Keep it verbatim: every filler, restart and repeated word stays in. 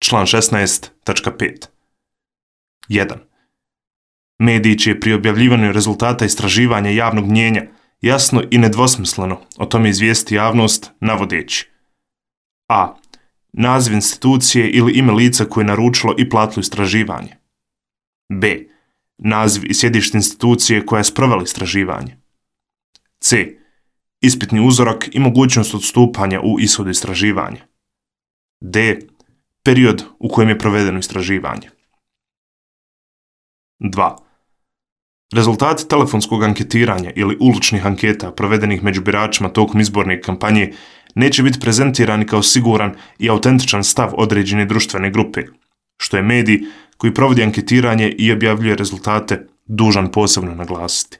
Član šesnaest tačka pet. jedan. Mediji će pri objavljivanju rezultata istraživanja javnog mnijenja jasno i nedvosmisleno o tome izvijesti javnost navodeći: a. Naziv institucije ili ime lica koje je naručilo i platilo istraživanje. b. Naziv i sjedište institucije koja je sprovela istraživanje. c. Ispitni uzorak i mogućnost odstupanja u ishodu istraživanja. d. Period u kojem je provedeno istraživanje. dva. Rezultati telefonskog anketiranja ili uličnih anketa provedenih među biračima tokom izborne kampanje neće biti prezentirani kao siguran i autentičan stav određene društvene grupe, što je medij koji provodi anketiranje i objavljuje rezultate dužan posebno naglasiti.